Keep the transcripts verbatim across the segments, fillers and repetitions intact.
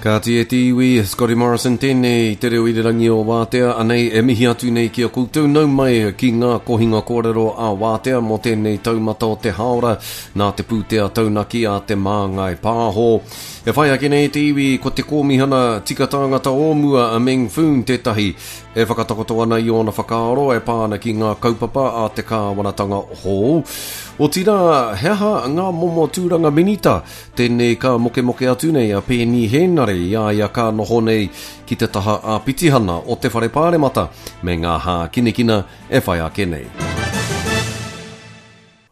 Kāti e te iwi, Scotty Morrison tēnei, te reo irirangi o Wātea, anei e mihi atu nei ki a koutou nau mai ki ngā kohinga kōrero a Wātea mō tēnei taumata o te hāora nā te pūtea taunaki a Te Māngai Pāho. E whai ake nei te iwi ko te kōmihana tika tāngata o mua a Meng Foon tētahi e whakatakoto ana i ōna whakaaro e pā ana ki ngā kaupapa a te kāwanatanga hou. Otirā, he aha ngā momo tūranga minita? Tēnei ka mokemoke atu nei a Peeni Hēnare i a ia ka noho nei ki te taha āpitihana o te Whare Pāremata me ngā hākinakina e whai ake nei.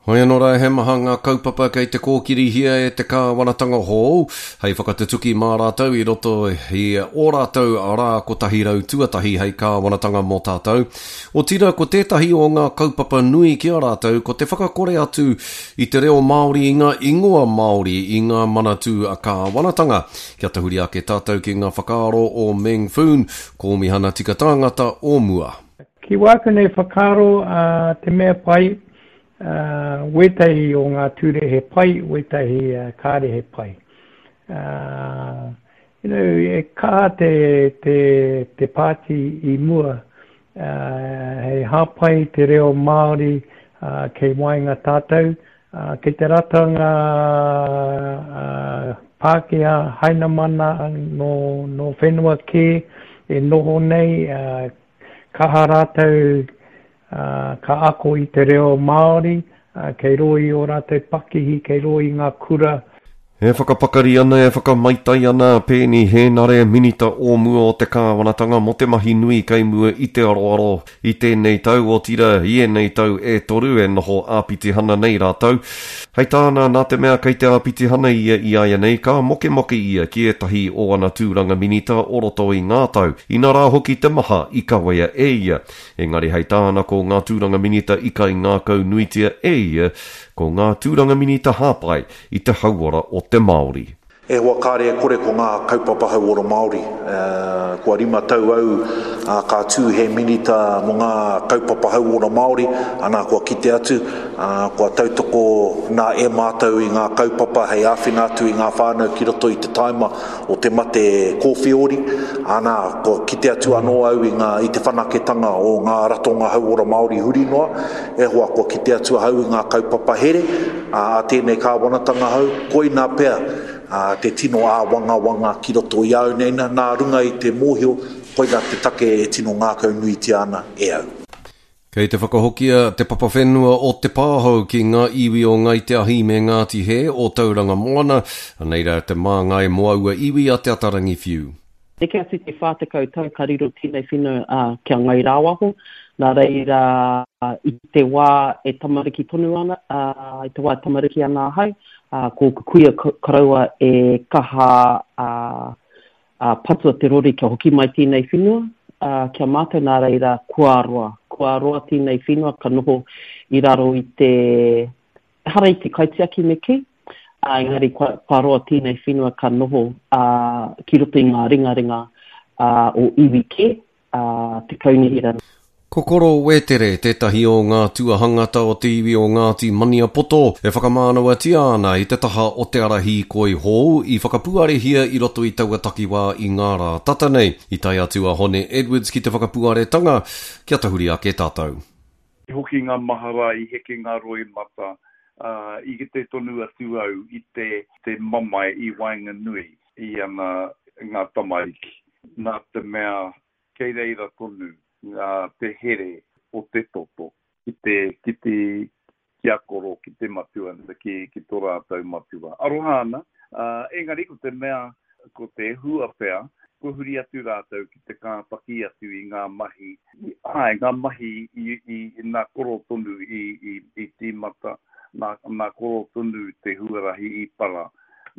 Hoi anō rā, he maha ngā kaupapa kei te kōkirihia e te kāwanatanga hou, hei whakatutuki mā rātou i roto i ō rātou rā kotahi rau tuatahi hei kāwanatanga mō tātou. Otirā, ko tētahi o ngā kaupapa nui ki a rātou ko te whakakore atu i te reo Māori i ngā ingoa Māori i ngā manatū kāwanatanga. Kia tahuri ake tātou ki ngā whakaaro o Meng Foon, Kōmihana Tika Tāngata o mua. Ki wāku nei whakaaro, te mea pai, Uh, wētahi o ngā ture he pai, wētahi uh, kāre he pai. Uh, you know, e kaha te, te, te pāti i mua, uh, hei hāpai te reo Māori uh, kei waenga tātou, uh, kei te rata ngā uh, Pākehā Hainamana nō, nō whenua kē e noho nei, uh, kaha rātou ka ako i te reo Māori, kei rō i ō rātou pakihi, kei rō i ngā kura. E whakapakari ana, e whakamaitai ana a Peeni Hēnare, Minita o mua o te Kāwanatanga mō te mahi nui kei mua i te aroaro i tēnei tau, otirā i ēnei tau e toru e noho āpitihana nei rātou. Hei tāna, nā te mea kei te āpitihana ia i āianei, ka mokemoke ia ki ētahi o ana tūranga minita o roto i ngā tau, inarā hoki te maha i kawea e ia. Engari hei tāna ko ngā tūranga minita i kaingākaunuitia e ia, ko ngā tūranga minita hāpai i te hauora o te Māori. E hoa kāre e kore ko ngā kaupapa hauora Māori. Kua rima tau au ka tū he minita mō ngā kaupapa hauora Māori, ana kua kite atu, kua tautoko nā e mātou i ngā kaupapa hei āwhina atu i ngā whānau ki roto i te taima o te mate kōwhiori, ana kua kite atu anō au i ngā, i te whanaketanga o ngā ratonga hauora Māori huri noa, e hoa kua kite atu ahau i ngā kaupapa here a tēnei kāwanatanga hou, koina pea te tino āwangawanga ki roto i au nei, nā runga i te mōhio, koina te take e tino ngākaunuitia ana e au. Kei te whakahokia te papawhenua o Te Pāhou ki ngā iwi o Ngāi Te Ahi me Ngāti Hē o Tauranga Moana, anei rā te māngai mō aua iwi a Te Atarangi Whiu. Neke atu te whā tekau tau ka riro tēnei whenua kia Ngai Rāwaho, nā reira i te wā e tamariki tonu ana, i te wā e tamariki ana ahau, ko ōku kuia koroua e kaha patua te rori kia hoki mai tēnei whenua kia mātou, nā reira kua roa, kua roa tēnei whenua ka noho i raro i te, ehara i te kaitiaki me kī, engari kua, kua roa tēnei whenua ka noho ki roto i ngā ringaringa o iwi kē, te kaunihera. Ko Koro Wētere tētahi o ngā tuahangata o te iwi o Ngāti Maniapoto e whakamānawatia ana i te taha o te ara hīkoi hou i whakapuarehia i roto i taua takiwā i ngā rā tata nei. I tae atu a Hone Edwards ki te whakapuaretanga, kia tahuri ake tātou. I hoki ngā mahara, i heke ngā roimata, i kite tonu atu au i te, te mamae i waenganui i ana ngā tamariki. Nā te mea kei reira tonu ngā te here o te toto ki te, ki te, ki a koro, ki te matua, ki, ki tō rātou matua. Aroha ana, uh, engari ko te mea, ko te hua pea, kua huri atu rātou ki te kāpaki atu i ngā mahi, āe, ngā mahi i, i, i nā koro tonu i, i, i tīmata, nā, nā koro tonu te huarahi i para,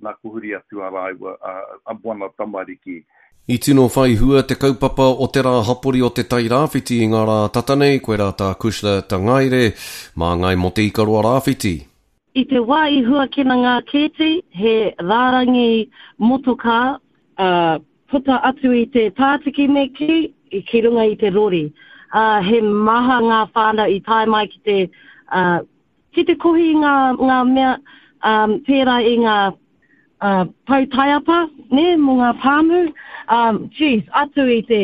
nā kua huri atu a rāua, a, a wana tamariki. I tino whai hua te kaupapa o te rā hapori o te Tairāwhiti i ngā rā tata nei, koirā tā Kushla Tangaere, māngai mō te Ikaroa Rāwhiti. I te wā i huakina ngā kēti, he rārangi motokā, uh, puta atu i te pātiki me kī, ki runga i te rori. Uh, he maha ngā whānau i tae mai ki te, uh, ki te kohi ngā, ngā mea um, pērā i ngā uh, pau taiapa, nē, mō ngā pāmu. Um, geez, atu i te,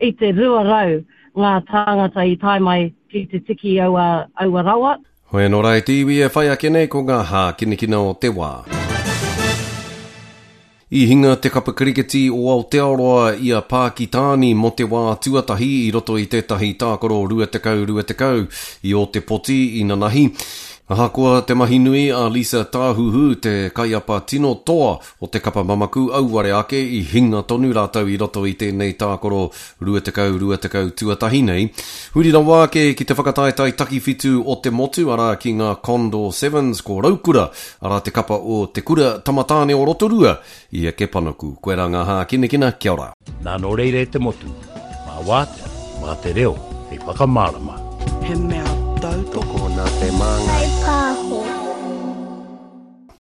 i te rua rau ngā tāngata i tae mai ki te tiki aua, aua rawa. Hoi anō rā e te iwi e whai ake nei ko ngā hākinakina o te wā. I hinga te kapa kiriketi o Aotearoa i a Pākitāni mō te wā tuatahi i roto i tētahi tākaro rua tekau rua tekau i Ōtepoti i nanahi. Ahakoa te mahi nui a Lisa Tāhuhu, te kaiapa tino toa o te kapa mamaku, auare ake i hinga tonu rātou i roto i tēnei tākaro rua tekau rua tekau tuatahi nei. Huri rawa ake ki te whakataetae takiwhitu o te motu, arā ki ngā Condor Sevens, ko Raukura, arā te kapa o Te Kura Tamatāne o Rotorua i eke panuku. Koirā ngā hākinakina, kia ora. Nā nō reira e te motu, mā Wātea, mā te reo, hei whakamārama. He mea tautoko nā te māngai.